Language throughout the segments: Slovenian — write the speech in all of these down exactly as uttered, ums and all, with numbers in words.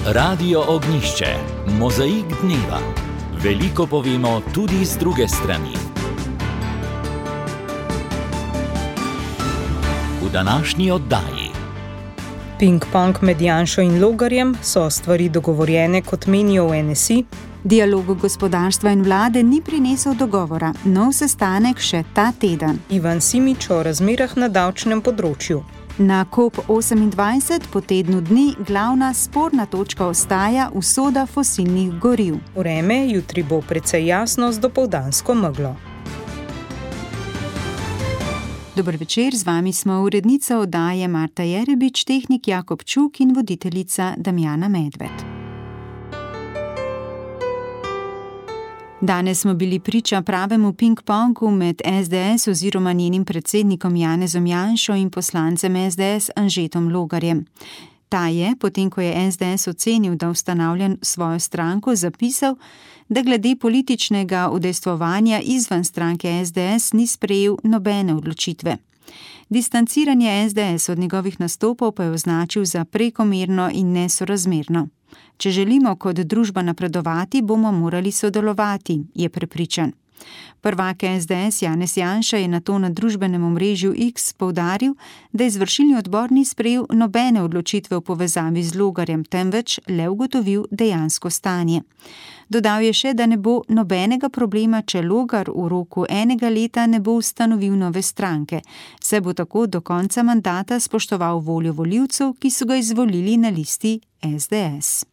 Radio Ognjišče, mozaik dneva. Veliko povemo tudi z druge strani. V današnji oddaji. Ping-pong med Janšo in Logarjem, so stvari dogovorjene, kot menijo v N S I? Dialog gospodarstva in vlade ni prinesel dogovora, nov sestanek še ta teden. Ivan Simič o razmerah na davčnem področju. Na COP osemindvajset po tednu dni glavna sporna točka ostaja usoda fosilnih goriv. Vreme jutri bo precej jasno z dopoldansko meglo. Dober večer, z vami smo urednica oddaje Marta Jerebič, tehnik Jakob Čuk in voditeljica Damjana Medved. Danes smo bili priča pravemu ping-pongu med S D S oziroma njenim predsednikom Janezom Janšo in poslancem S D S Anžetom Logarjem. Ta je, potem ko je S D S ocenil, da ustanavlja svojo stranko, zapisal, da glede političnega udejstvovanja izven stranke S D S ni sprejel nobene odločitve. Distanciranje S D S od njegovih nastopov pa je označil za prekomerno in nesorazmerno. Če želimo kot družba napredovati, bomo morali sodelovati, je prepričan. Prvak S D S Janez Janša je nato na družbenem omrežju X poudaril, da izvršilni odbor ni sprejel nobene odločitve v povezavi z Logarjem, temveč le ugotovil dejansko stanje. Dodal je še, da ne bo nobenega problema, če Logar v roku enega leta ne bo ustanovil nove stranke, saj bo tako do konca mandata spoštoval voljo volivcev, ki so ga izvolili na listi S D S.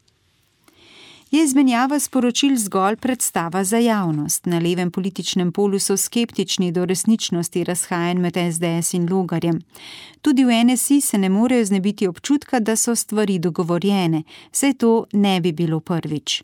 Je izmenjava sporočil zgolj predstava za javnost. Na levem političnem polu so skeptični do resničnosti razhajanj med S D S in Logarjem. Tudi v N S I se ne morejo znebiti občutka, da so stvari dogovorjene, saj to ne bi bilo prvič.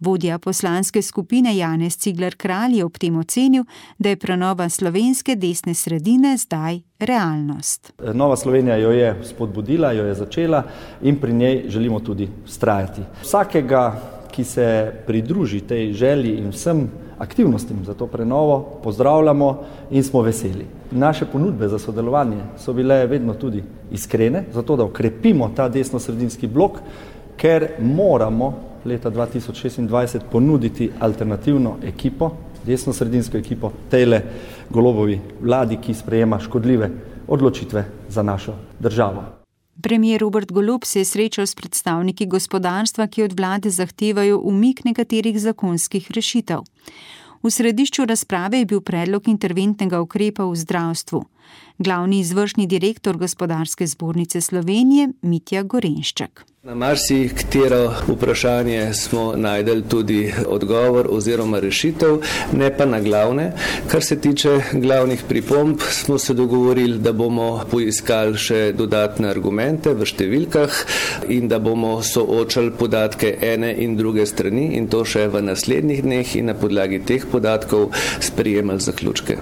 Vodja poslanske skupine Janez Cigler Kralj je ob tem ocenil, da je prenova slovenske desne sredine zdaj realnost. Nova Slovenija jo je spodbudila, jo je začela in pri njej želimo tudi vztrajati. Vsakega, ki se pridruži tej želji in vsem aktivnostim za to prenovo, pozdravljamo in smo veseli. Naše ponudbe za sodelovanje so bile vedno tudi iskrene, zato da okrepimo ta desnosredinski blok, ker moramo leta dva tisoč šestindvajset ponuditi alternativno ekipo, desnosredinsko ekipo tejle Golobovi vladi, ki sprejema škodljive odločitve za našo državo. Premier Robert Golob se je srečal s predstavniki gospodarstva, ki od vlade zahtevajo umik nekaterih zakonskih rešitev. V središču razprave je bil predlog interventnega ukrepa v zdravstvu. Glavni izvršni direktor Gospodarske zbornice Slovenije Mitja Gorenšček. Na marsikatero vprašanje smo najdeli tudi odgovor oziroma rešitev, ne pa na glavne. Kar se tiče glavnih pripomb, smo se dogovorili, da bomo poiskali še dodatne argumente v številkah in da bomo soočali podatke ene in druge strani in to še v naslednjih dneh in na podlagi teh podatkov sprejemali zaključke.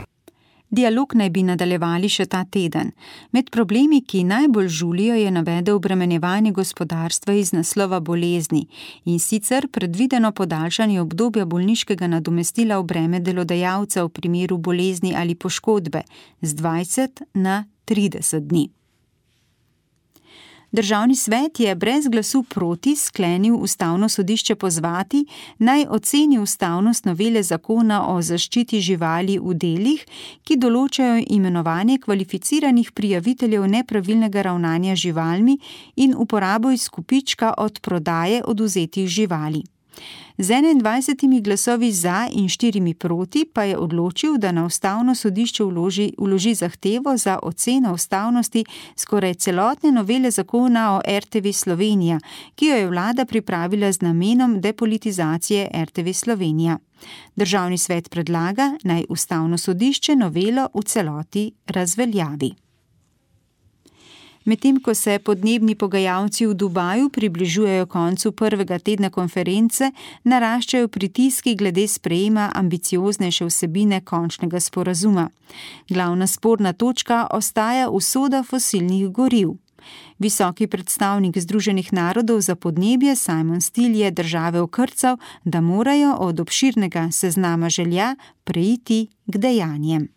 Dialog naj bi nadaljevali še ta teden. Med problemi, ki najbolj žulijo, je navedel obremenjevanje gospodarstva iz naslova bolezni in sicer predvideno podaljšanje obdobja bolniškega nadomestila v breme delodajalca v primeru bolezni ali poškodbe z dvajset na trideset dni. Državni svet je brez glasu proti sklenil Ustavno sodišče pozvati, naj oceni ustavnost novele zakona o zaščiti živali v delih, ki določajo imenovanje kvalificiranih prijaviteljev nepravilnega ravnanja z živalmi in uporabo izkupička od prodaje odvzetih živali. Z enaindvajsetimi glasovi za in štirimi proti pa je odločil, da na Ustavno sodišče vloži, vloži zahtevo za oceno ustavnosti skoraj celotne novele zakona o R T V Slovenija, ki jo je vlada pripravila z namenom depolitizacije R T V Slovenija. Državni svet predlaga, naj Ustavno sodišče novelo v celoti razveljavi. Medtem ko se podnebni pogajalci v Dubaju približujejo koncu prvega tedna konference, naraščajo pritiski glede sprejema ambicioznejše vsebine končnega sporazuma. Glavna sporna točka ostaja usoda fosilnih goriv. Visoki predstavnik Združenih narodov za podnebje Simon Still je države okrcal, da morajo od obširnega seznama želja preiti k dejanjem.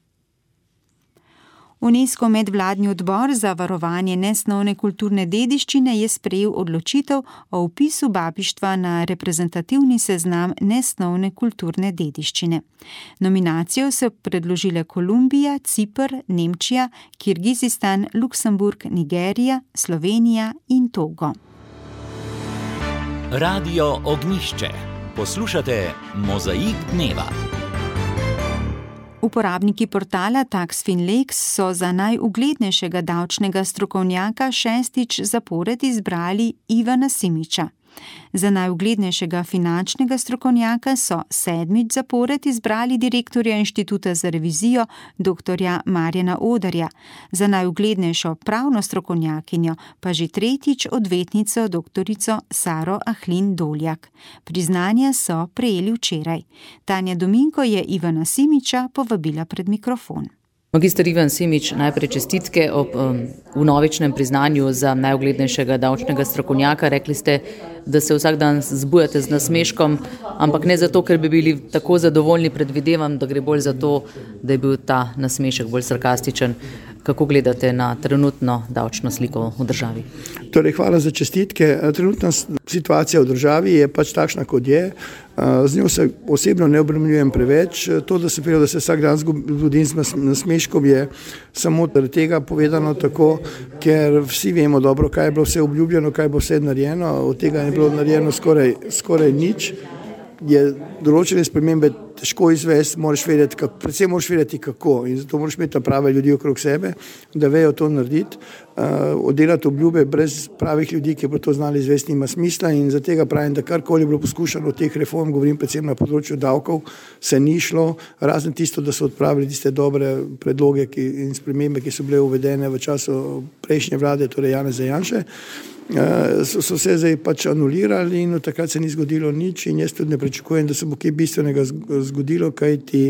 UNESCO medvladni odbor za varovanje nesnovne kulturne dediščine je sprejel odločitev o vpisu babištva na reprezentativni seznam nesnovne kulturne dediščine. Nominacijo so predložile Kolumbija, Ciper, Nemčija, Kirgizistan, Luksemburg, Nigerija, Slovenija in Togo. Radio Ognjišče. Poslušate Mozaik dneva. Uporabniki portala TaxFinLex so za najuglednejšega davčnega strokovnjaka šestič zapored izbrali Ivana Simiča. Za najuglednejšega finančnega strokovnjaka so sedmič zapored izbrali direktorja Inštituta za revizijo doktorja Marjana Odarja, za najuglednejšo pravno strokovnjakinjo pa že tretjič odvetnico doktorico Saro Ahlin Doljak. Priznanja so prejeli včeraj. Tanja Dominko je Ivana Simiča povabila pred mikrofon. Magister Ivan Simič, najprej čestitke ob um, vnovičnem priznanju za najuglednejšega davčnega strokovnjaka. Rekli ste, da se vsak dan zbujate z nasmeškom, ampak ne zato, ker bi bili tako zadovoljni, predvidevam, da gre bolj za to, da je bil ta nasmešek bolj sarkastičen. Kako gledate na trenutno davčno sliko v državi? Torej, hvala za čestitke. Trenutna situacija v državi je pač takšna, kot je. Z njo se osebno ne obremenjujem preveč. To, da se pravi, da se vsak dan zbudim z nasmeškom, je samo zaradi tega povedano tako, ker vsi vemo dobro, kaj je bilo vse obljubljeno, kaj bo vse narejeno. Od tega je bilo narejeno skoraj, skoraj nič. Je določene spremembe težko izvesti, moraš vedeti, kako, predvsem moraš vedeti kako, in zato moraš imeti prave ljudi okrog sebe, da vejo to narediti. Uh, oddelati obljube brez pravih ljudi, ki bo to znali izvesti, nima smisla, in za tega pravim, da karkoli je bilo poskušano od teh reform, govorim predvsem na področju davkov, se ni šlo, razen tisto, da so odpravili tiste dobre predloge ki, in spremembe, ki so bile uvedene v času prejšnje vlade, torej Janeza Janše. Uh, so, so se zdaj pač anulirali in od takrat se ni zgodilo nič, in jaz tudi ne pričakujem, da se bo kaj bistvenega zgodilo, kaj ti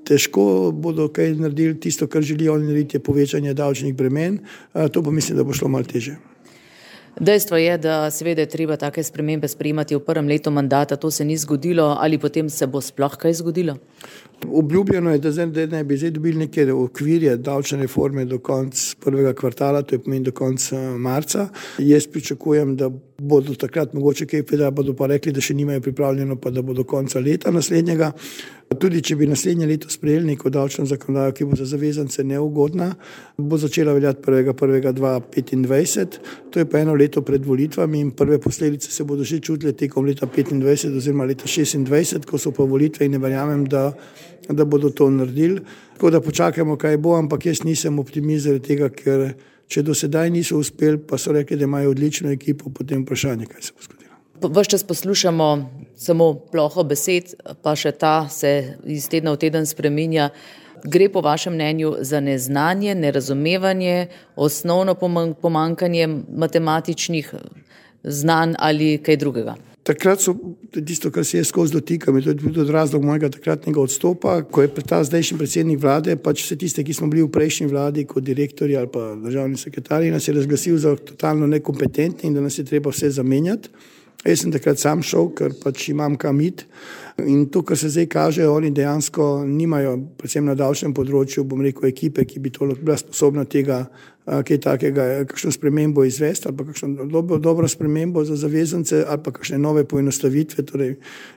težko bodo kaj naredili. Tisto, kar želijo oni narediti, je povečanje davčnih bremen. Uh, to pa mislim, da bo šlo malo teže. Dejstvo je, da seveda je treba take spremembe sprejemati v prvem letu mandata, to se ni zgodilo, ali potem se bo sploh kaj zgodilo? Obljubljeno je, da zdaj ne bi zdaj dobili neke okvirje davčne reforme do konca prvega kvartala, to je pomeni do konca marca. Jaz pričakujem, da bodo takrat mogoče kaj povedali, bodo pa rekli, da še nimajo pripravljeno, pa da bo do konca leta naslednjega. Tudi če bi naslednje leto sprejeli neko davčno zakonodajo, ki bo za zavezance neugodna, bo začela veljati prvega prvega dva tisoč petindvajset, to je pa eno leto pred volitvami, in prve posledice se bodo že čutile tekom leta petindvajset oziroma leta šestindvajset, ko so pa volitve, in ne verjamem, da, da bodo to naredili. Tako da počakajmo, kaj bo, ampak jaz nisem optimist zaradi tega, ker če do sedaj niso uspeli, pa so rekli, da imajo odlično ekipo, potem vprašanje, kaj se bo zgodilo. Ves čas poslušamo samo ploho besed, pa še ta se iz tedna v teden spreminja. Gre po vašem mnenju za neznanje, nerazumevanje, osnovno pomankanje matematičnih znanj ali kaj drugega? Takrat so tisto, kar se je skozi dotikam, to je tudi razlog mojega takratnega odstopa, ko je ta zdajšnji predsednik vlade, pač vse tiste, ki smo bili v prejšnji vladi kot direktorji ali pa državni sekretarji, nas je razglasil za totalno nekompetentni in da nas je treba vse zamenjati. Jaz sem takrat sam šel, ker pač imam kam iti, in to, kar se zdaj kaže, oni dejansko nimajo, predvsem na davčnem področju, bom rekel, ekipe, ki bi to bila sposobna tega, kaj takega, kakšno spremembo izvesti ali pa kakšno dobro, dobro spremembo za zavezance ali pa kakšne nove poenostavitve. Torej,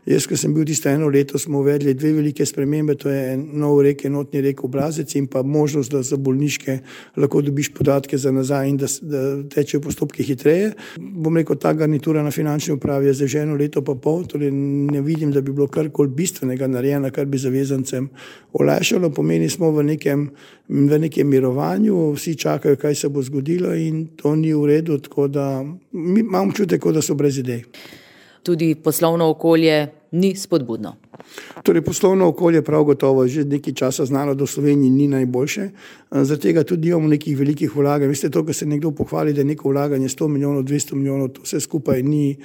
jaz, ko sem bil tisto eno leto, smo uvedli dve velike spremembe, to je nov rek, enotni rek obrazec in pa možnost, da za bolniške lahko dobiš podatke za nazaj in da, da tečejo postopki hitreje. Bom rekel, ta garnitura na finančni upravi je zdaj že eno leto pa pol, torej ne vidim, da bi bilo karkoli bistvenega narejeno, kar bi zavezancem olajšalo. Pomeni smo v nekem, v nekem mirovanju, vsi čakajo, kaj se bo zgodilo, in to ni v redu, tako da imam čutek, da so brez idej. Tudi poslovno okolje ni spodbudno. Torej, poslovno okolje prav gotovo že nekaj časa znano, da v Sloveniji ni najboljše. Zaradi tega tudi imamo nekih velikih vlaganj. Veste, to, ko se nekdo pohvali, da je neko vlaganje sto milijonov, dvesto milijonov, to vse skupaj ni,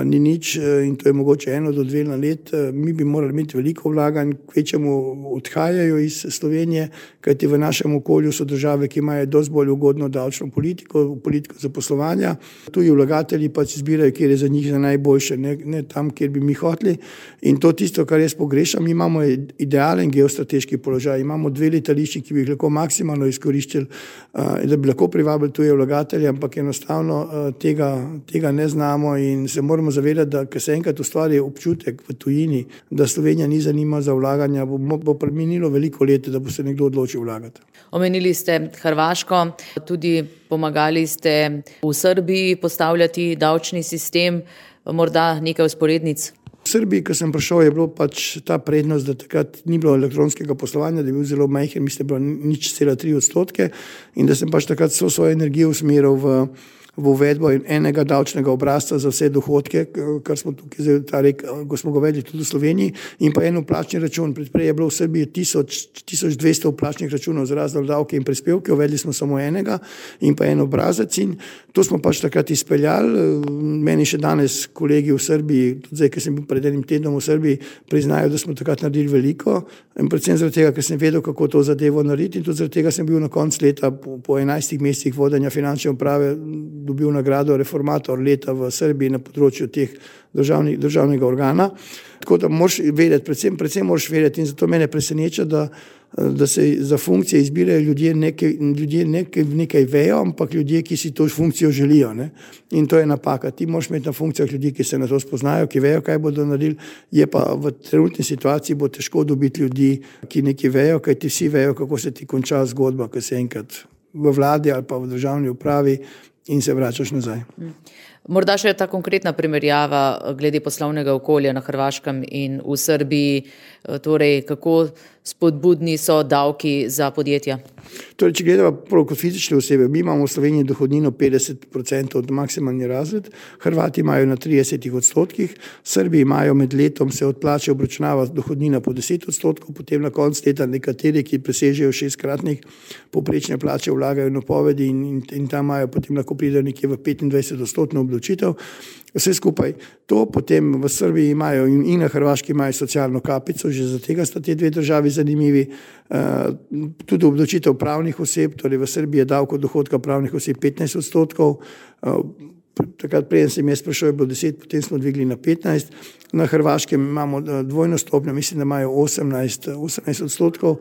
ni nič, in to je mogoče eno do dve na let. Mi bi morali imeti veliko vlaganj, kvečemu odhajajo iz Slovenije, kajti v našem okolju so države, ki imajo dosti bolj ugodno davčno politiko, politiko zaposlovanja. Tuji vlagatelji pač izbirajo, kjer je za njih za najboljše, ne, ne tam, kjer bi mi hoteli. In to tisto, kar kar jaz pogrešam, mi imamo idealen geostrateški položaj, imamo dve letališči, ki bi jih lahko maksimalno izkoriščili, da bi lahko privabili tuje vlagatelje, ampak enostavno tega, tega ne znamo in se moramo zavedati, da ko se enkrat ustvari občutek v tujini, da Slovenija ni zanima za vlaganja, bo, bo preminilo veliko let, da bo se nekdo odločil vlagati. Omenili ste Hrvaško, tudi pomagali ste v Srbiji postavljati davčni sistem, morda nekaj vzporednic? V Srbiji, ko sem prišel, je bilo pač ta prednost, da takrat ni bilo elektronskega poslovanja, da je bil zelo majhen, mislim, da je bilo nič cela tri odstotke in da sem pač takrat vso svojo energijo usmeril v v uvedbo enega davčnega obrazca za vse dohodke, kar smo tukaj zdaj, ta rek, ko smo ga uvedli tudi v Sloveniji, in pa en vplačni račun. Predprej je bilo v Srbiji tisoč dvesto vplačnih računov za razne davke in prispevke, uvedli smo samo enega in pa en obrazac in to smo pač takrat izpeljali. Meni še danes kolegi v Srbiji, tudi zdaj, ker sem bil pred enim tednom v Srbiji, priznajo, da smo takrat naredili veliko in predvsem zaradi tega, ker sem vedel, kako to zadevo narediti in tudi zaradi tega sem bil na koncu leta po, po enajstih mesecih vodenja finančne uprave dobil nagrado reformator leta v Srbiji na področju teh državnih, državnega organa. Tako da moraš vedeti, predvsem, predvsem moraš vedeti in zato mene preseneča, da, da se za funkcije izbirajo ljudje, nekaj, ljudje nekaj, nekaj vejo, ampak ljudje, ki si to funkcijo želijo. Ne? In to je napaka. Ti moraš imeti na funkcijah ljudi, ki se na to spoznajo, ki vejo, kaj bodo naredili, je pa v trenutni situaciji bo težko dobiti ljudi, ki nekaj vejo, kaj ti vsi vejo, kako se ti konča zgodba, ko se enkrat v vladi ali pa v državni upravi in se vračaš nazaj. Morda še ta konkretna primerjava glede poslovnega okolja na Hrvaškem in v Srbiji, torej kako spodbudni so davki za podjetja? Torej, če gledamo prav kot fizične osebe, mi imamo v Sloveniji dohodnino petdeset procentov od maksimalni razred, Hrvati imajo na trideset odstotkih, Srbiji imajo med letom se od plače obračunava dohodnina po deset odstotkov, potem na koncu leta nekateri, ki presežejo šestkratnik povprečne plače, vlagajo napovedi in, in, in tam imajo potem lahko pridejo nekje v petindvajset odstotno obdavčitev. Vse skupaj to, potem v Srbiji imajo in, in na Hrvaški imajo socialno kapico, že za tega sta te dve državi zanimivi. Uh, tudi obdavčitev pravnih oseb, torej v Srbiji je davek od dohodka pravnih oseb petnajst odstotkov, uh, takrat preden sem jaz prišel je bilo deset, potem smo dvigli na petnajst. Na Hrvaškem imamo dvojno stopnjo, mislim, da imajo osemnajst, osemnajst odstotkov,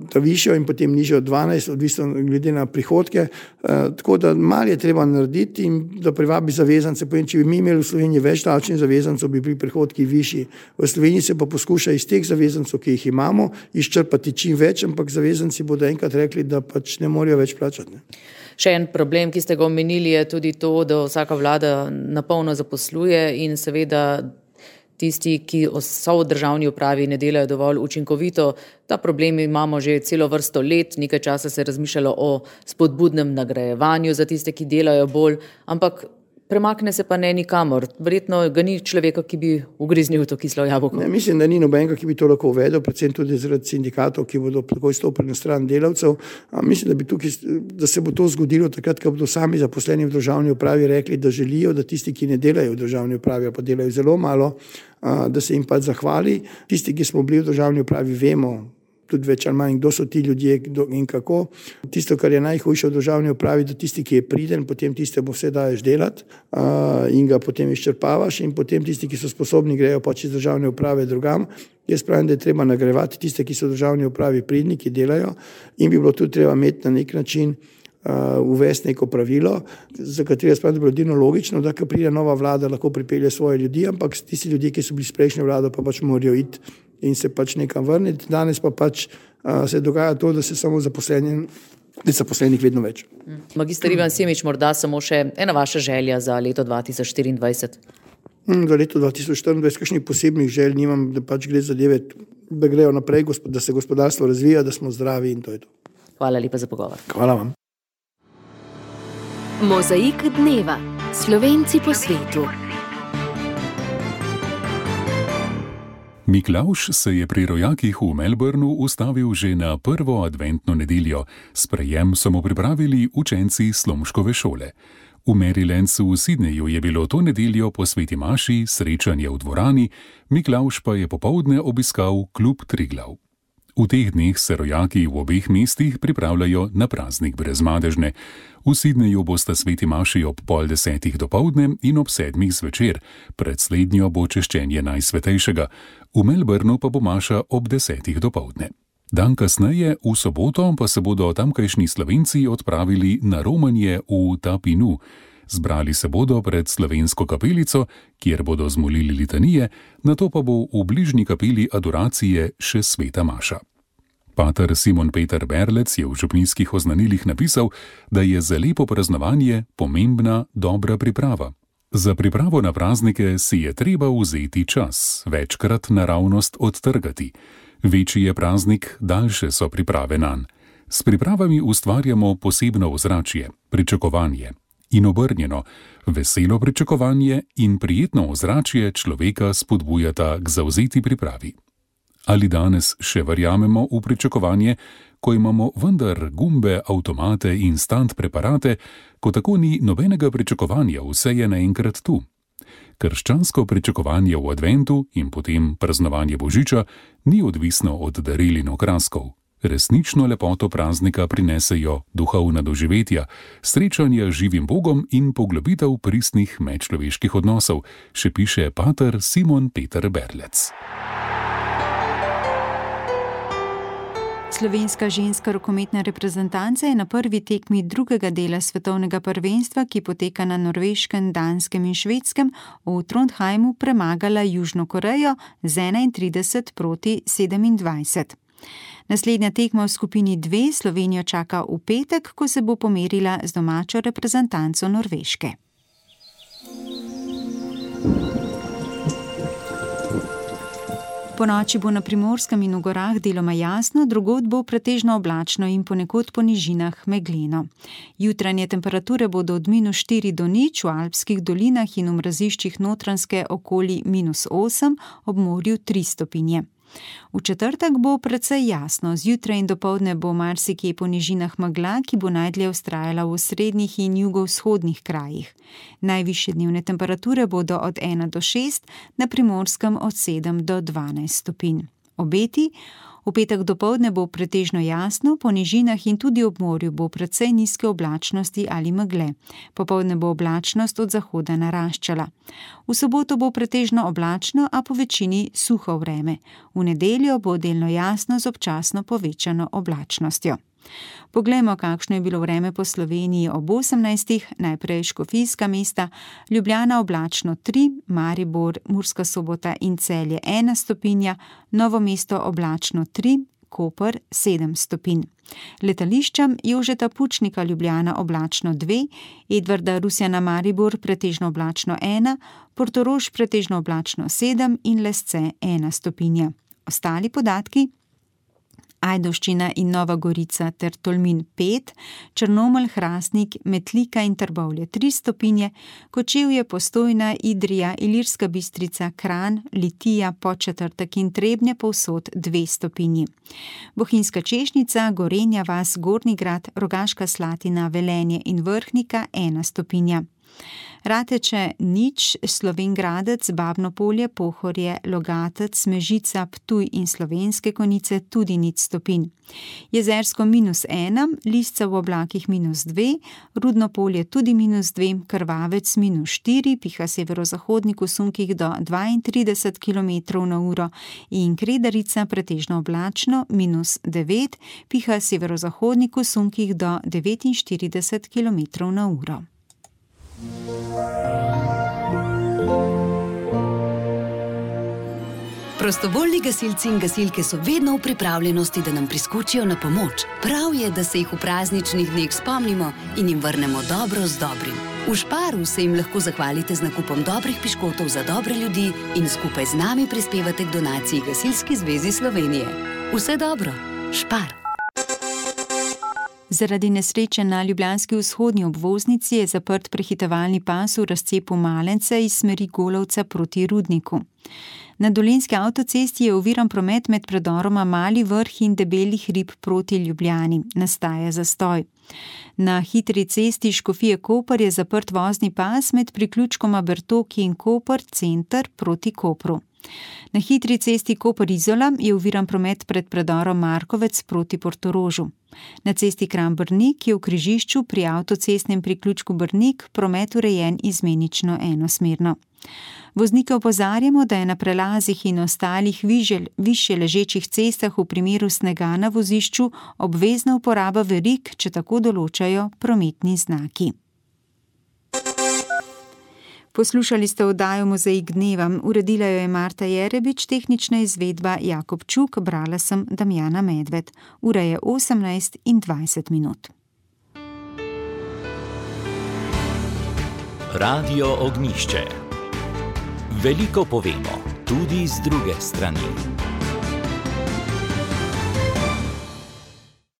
ta višjo in potem nižjo dvanajst, odvisno glede na prihodke. Tako da malo je treba narediti in da privabi zavezance. Povem, če bi mi imeli v Sloveniji več davčnih zavezancov, bi bili prihodki višji. V Sloveniji se pa poskuša iz teh zavezancov, ki jih imamo, izčrpati čim več, ampak zavezanci bodo enkrat rekli, da pač ne morajo več plačati. Ne? Še en problem, ki ste ga omenili, je tudi to, da vsaka vlada napolno zaposluje in seveda tisti, ki so v državni upravi, ne delajo dovolj učinkovito. Ta problem imamo že celo vrsto let, nekaj časa se je razmišljalo o spodbudnem nagrajevanju za tiste, ki delajo bolj, ampak premakne se pa ne nikamor. Verjetno ga ni človeka, ki bi ugriznil to kislo jabolko. Ne, mislim, da ni nobenega, ki bi to lahko uvedel, predvsem tudi zaradi sindikatov, ki bodo takoj stopili na stran delavcev. A mislim, da, bi tukaj, da se bo to zgodilo takrat, ko bodo sami zaposleni v državni upravi rekli, da želijo, da tisti, ki ne delajo v državni upravi, pa delajo zelo malo, a, da se jim pa zahvali. Tisti, ki smo bili v državni upravi, vemo tudi več ali manj, kdo so ti ljudje in kako. Tisto, kar je najhujše v državni upravi, da tisti, ki je priden, potem tistemu vse daješ delati uh, in ga potem izčrpavaš in potem tisti, ki so sposobni, grejo pač iz državne uprave drugam. Jaz pravim, da je treba nagrajevati tiste, ki so v državni upravi pridni, ki delajo in bi bilo tudi treba imeti na nek način uh, uvesti neko pravilo, za katero jaz pravim, da bi bilo edino logično, da ko pride nova vlada, lahko pripelje svoje ljudi, ampak tisti ljudje, ki so bili s prejšnjo vlado, pa pač morajo iti in se pač nekam vrniti. Danes pa pač uh, se dogaja to, da se samo zaposleni, da je zaposlenih vedno več. Magister Ivan Simič, morda samo še ena vaša želja za leto dva tisoč štiriindvajset. Hmm, za leto dva tisoč štiriindvajset kakšnih posebnih želj nimam, da pač gre zadeve, da grejo naprej, da se gospodarstvo razvija, da smo zdravi in to je to. Hvala lepa za pogovor. Hvala vam. Mozaik dneva. Slovenci po svetu. Miklavž se je pri rojakih v Melbourneu ustavil že na prvo adventno nedeljo. Sprejem so mu pripravili učenci Slomškove šole. V Marylandsu v Sydneyju je bilo to nedeljo po sveti maši srečanje v dvorani, Miklavž pa je popoldne obiskal klub Triglav. V teh dneh se rojaki v obeh mestih pripravljajo na praznik Brezmadežne. V Sydneyju bosta sveti maši ob pol desetih dopoldne in ob sedmih zvečer, pred slednjo bo češčenje Najsvetejšega, v Melbournu pa bo maša ob desetih dopoldne. Dan kasneje, v soboto, pa se bodo tamkajšnji Slovenci odpravili na romanje v Tapinu. Zbrali se bodo pred slovensko kapelico, kjer bodo zmolili litanije, nato pa bo v bližnji kapeli adoracije še sveta maša. Pater Simon Peter Berlec je v župnijskih oznanilih napisal, da je za lepo praznovanje pomembna dobra priprava. Za pripravo na praznike si je treba vzeti čas, večkrat naravnost odtrgati. Večji je praznik, daljše so priprave nanj. S pripravami ustvarjamo posebno ozračje, pričakovanje. In obrnjeno, veselo pričakovanje in prijetno ozračje človeka spodbujata k zavzeti pripravi. Ali danes še verjamemo v pričakovanje, ko imamo vendar gumbe, avtomate in instant preparate, ko tako ni nobenega pričakovanja, vse je naenkrat tu? Krščansko pričakovanje v adventu in potem praznovanje Božiča ni odvisno od daril in okraskov. Resnično lepoto praznika prinesejo duhovna doživetja, srečanja z živim Bogom in poglobitev pristnih medčloveških odnosov, še piše pater Simon Peter Berlec. Slovenska ženska rokometna reprezentanca je na prvi tekmi drugega dela svetovnega prvenstva, ki poteka na Norveškem, Danskem in Švedskem, v Trondheimu premagala Južno Korejo z enaintrideset proti sedemindvajset. Naslednja tekma v skupini dve Slovenijo čaka v petek, ko se bo pomerila z domačo reprezentanco Norveške. Ponoči bo na Primorskem in v gorah deloma jasno, drugod bo pretežno oblačno in ponekod po nižinah megleno. Jutranje temperature bodo od minus štiri do nič, v alpskih dolinah in v mraziščih Notranjske okoli minus osem, ob morju tri stopinje. V četrtek bo precej jasno, zjutraj in dopoldne bo marsikje po nižinah megla, ki bo najdlje vztrajala v srednjih in jugovzhodnih krajih. Najvišje dnevne temperature bodo od ena do šest, na Primorskem od sedem do dvanajst stopinj. Obeti: v petek dopoldne bo pretežno jasno, po nižinah in tudi ob morju bo precej nizke oblačnosti ali megle. Popoldne bo oblačnost od zahoda naraščala. V soboto bo pretežno oblačno, a po večini suho vreme. V nedeljo bo delno jasno z občasno povečano oblačnostjo. Poglejmo, kakšno je bilo vreme po Sloveniji ob osemnajstih, najprej škofijska mesta, Ljubljana oblačno tri, Maribor, Murska Sobota in Celje ena stopinja, Novo mesto oblačno tri, Koper sedem stopinj. Letališčem Jožeta Pučnika Ljubljana oblačno dve, Edvarda Rusjana Maribor pretežno oblačno ena, Portorož pretežno oblačno sedem in Lesce ena stopinja. Ostali podatki: Ajdovščina in Nova Gorica ter Tolmin pet, Črnomelj, Hrastnik, Metlika in Trbovlje tri stopinje, Kočevje, Postojna, Idrija, Ilirska Bistrica, Kranj, Litija, Podčetrtek in Trebnje povsod dve stopinji. Bohinjska Češnica, Gorenja vas, Gornji Grad, Rogaška Slatina, Velenje in Vrhnika ena stopinja. Rateče nič, Slovenj Gradec, Babno Polje, Pohorje, Logatec, Mežica, Ptuj in Slovenske Konjice tudi nič stopinj. Jezersko minus ena, Lisca v oblakih minus dve, Rudno Polje tudi minus dve, Krvavec minus štiri, piha severozahodnik v sunkih do dvaintrideset kilometrov na uro in Kredarica pretežno oblačno minus devet, piha severozahodnik v sunkih do devetinštirideset kilometrov na uro. Prostovoljni gasilci in gasilke so vedno v pripravljenosti, da nam priskočijo na pomoč. Prav je, da se jih v prazničnih dneh spomnimo in jim vrnemo dobro z dobrim. V Šparu se jim lahko zahvalite z nakupom dobrih piškotov za dobre ljudi in skupaj z nami prispevate k donaciji Gasilski zvezi Slovenije. Vse dobro, Špar! Zaradi nesreče na ljubljanski vzhodni obvoznici je zaprt prehitevalni pas v razcepu Malence iz smeri Golovca proti Rudniku. Na dolenjski avtocesti je oviran promet med predoroma Mali Vrh in Debelih Rib proti Ljubljani. Nastaja zastoj. Na hitri cesti Škofije-Koper je zaprt vozni pas med priključkoma Bertoki in Koper center proti Kopru. Na hitri cesti Koper-Izola je oviran promet pred predorom Markovec proti Portorožu. Na cesti Kranj-Brnik je v križišču pri avtocestnem priključku Brnik promet urejen izmenično enosmerno. Voznike opozarjamo, da je na prelazih in ostalih višje ležečih cestah v primeru snega na vozišču obvezna uporaba verig, če tako določajo prometni znaki. Poslušali ste oddajo Mozaik dneva, uredila jo je Marta Jerebič, tehnična izvedba Jakob Čuk, brala sem Damjana Medved. Ura je osemnajst in dvajset minut. Radio Ognjišče. Veliko povemo, tudi z druge strani.